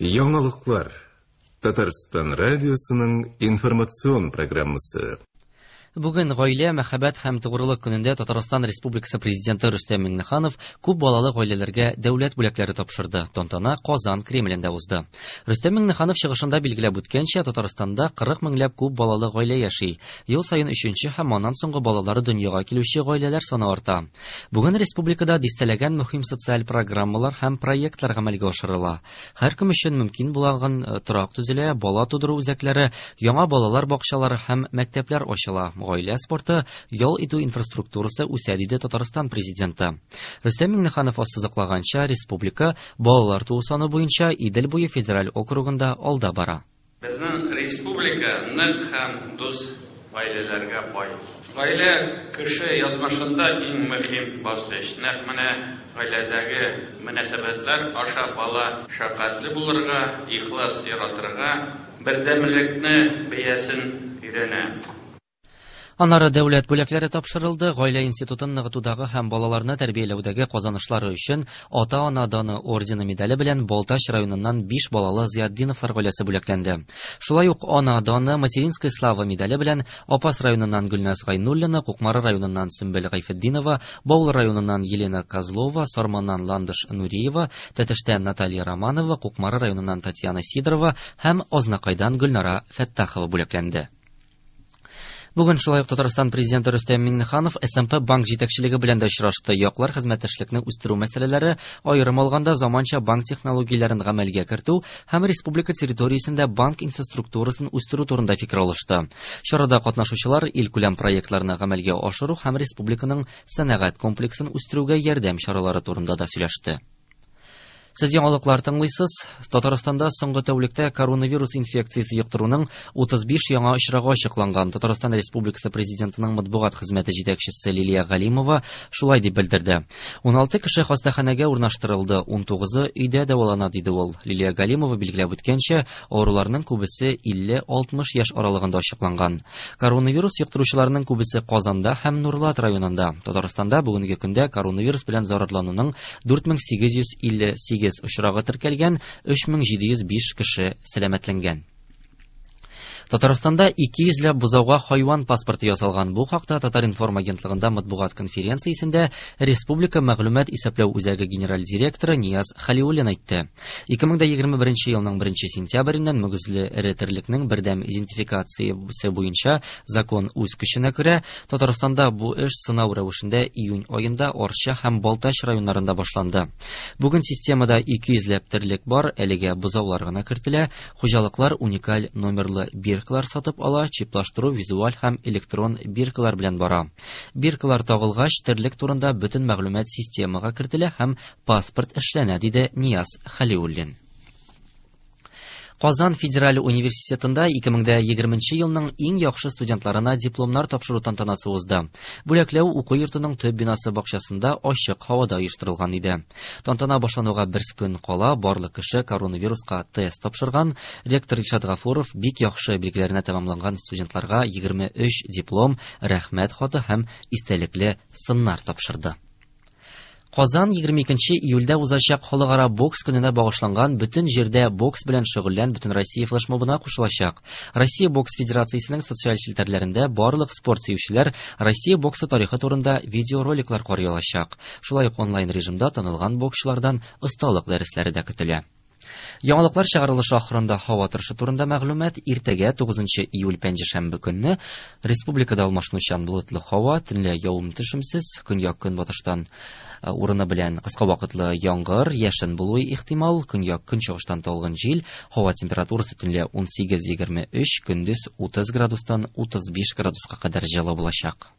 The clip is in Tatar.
Яңалыклар. Татарстан радиосының информацион программасы. Бүген Гаилә, мәхәббәт һәм тугрылык көнендә Татарстан Республикасы Президенты Рөстәм Миңнеханов күп балалы гаиләләргә дәүләт бүләкләре тапшырды. Тантана Казан Кремлендә узды. Рөстәм Миңнеханов чыгышында билгеләп үткәнчә, Татарстанда 40 меңләп күп балалы гаилә яши. Ел саен өченче һәм аннан соңгы балалары дөньяга килүче гаиләләр саны арта. Бүген республикада дистәләгән мөһим социаль программалар һәм проектлар гамәлгә ашырыла. Һәркем өчен мөмкин булган торак төзелә, бала тудыру үзәкләре, яңа балалар бакчалары һәм мәктәпләр ачыла, гаилә спорты, ял итү инфраструктурасы үсә, диде Татарстан Президенты. Рөстәм Миңнеханов ассызыклаганча, республика балалар туу саны буенча Идел буе федераль округында алда бара. Безнең республика нык һәм дус гаиләләргә бай. Гаилә кеше язмышында иң мөһим баскыч. Нәкъ менә гаиләдәге мөнәсәбәтләр аша бала шәфкатьле булырга, ихлас яратырга, бердәмлекне бәясен өйрәнә. Аннары дәүләт бүләкләре тапшырылды. Гаилә институтын ныгытудагы һәм балаларны тәрбияләүдәге казанышлары өчен Ата-ана даны ордены медале белән Балтач районыннан 5 балалы Зыятдиновлар гаиләсе бүләкләнде. Шулай ук Ана даны Материнская слава медале белән Апас районыннан Гөлназ Гайнуллина, Кукмара районыннан Сөмбел Гайфетдинова, Баулы районыннан Елена Козлова, Сарманнан Ландыш Нуриева, Тәтештән Наталья Романова, Кукмара районыннан Татьяна Сидорова һәм Азнакайдан Гөлнара Фәттахова бүләкләнде. Бүген шулай ук Татарстан Президенты Рөстәм Миңнеханов СМП банк җитәкчелеге белән дә очрашты. Яклар хезмәттәшлекне үстерү мәсьәләләре, аерым алганда, заманча банк технологияләрен гамәлгә кертү һәм республика территориясендә банк инфраструктурасын үстерү турында фикер алышты. Чарада катнашучылар илкүләм проектларны гамәлгә ашыру һәм республиканың сәнәгать комплексын үстерүгә ярдәм чаралары турында да сөйләште. Сез яңалыклар тыңлыйсыз. Татарстанда соңгы тәүлектә коронавирус инфекциясе йоктыруның 35 яңа очрагы ачыкланган. Татарстан Республикасы Президентының матбугат хезмәте җитәкчесе Лилия Галимова шулай дип белдерде. 16 кеше хастаханәгә урнаштырылды, 19-ы өйдә дәвалана, диде ул. Лилия Галимова билгеләп үткәнчә, авыруларның күбесе 50-60 яшь аралыгында ачыкланган. Коронавирус йоктыручыларның күбесе Казанда һәм Нурлат районында. Татарстанда бүгенге көндә коронавирус белән зарарлануның 4858 очрагы теркәлгән, 3705 кеше сәламәтләнгән. Татарстанда 200 ләп бозауга хайван паспорты ясалган. Бу хакта Татар-информ агентлыгында матбугат конференциясендә Республика мәгълүмат исәпләү үзәге генераль директоры Нияз Халиуллин әйтте. 2021 елның 1 сентябреннән мөгезле эре терлекнең бердәм идентификациясе буенча закон үз көченә керә. Татарстанда бу эш сынау рәвешендә июнь аенда Арча һәм Балтач районнарында башланды. Бүген системада 200 ләп терлек бар, әлегә бозаулар гына кертелә. Хуҗалыклар уникаль номерлы биркалар сатып ала, чиплаштыру визуаль һәм электрон биркалар белән бара. Биркалар тагылгач, терлек турында бөтен мәгълүмат системага кертелә һәм паспорт эшләнә, диде Нияз Халиуллин. Казан федераль университетында 2020 елның иң яхшы студентларына дипломнар тапшыру тантанасы узды. Бүләкләү уку йортының төп бинасы бакчасында ачык һавада оештырылган иде. Тантана башлануга бер көн кала барлык кеше коронавируска тест тапшырган. Ректор Илшат Гафуров бик яхшы билгеләренә тәмамланган студентларга 23 диплом, рәхмәт хаты һәм истәлекле сыннар тапшырды. Казан 22 июльдә узачак халыкара бокс көненә багышланган бөтен җирдә бокс белән шөгыльлән Бөтенроссия флешмобына кушылачак. Россия бокс федерациясенең социаль челтәрләрендә барлык спорт сөючеләр Россия боксы тарихы турында видеороликлар карый алачак. Шулай ук онлайн режимда танылган боксчылардан осталык дәресләре дә көтелә. Яңалыклар чыгарылышы ахырында һава торышы турында мәгълүмат. Иртәгә 9 июль пәнҗешәмбе көнне республикада алмашынучан болытлы һава, төнлә явым-төшемсез, көньяк-көнбатыштан урыны белән кыска вакытлы яңгыр, яшен булуы ихтимал, көньяк-көнчыгыштан талгын җил, һава температурасы төнлә 18-23, көндез 30 градустан 35 градуска кадәр җылы булачак.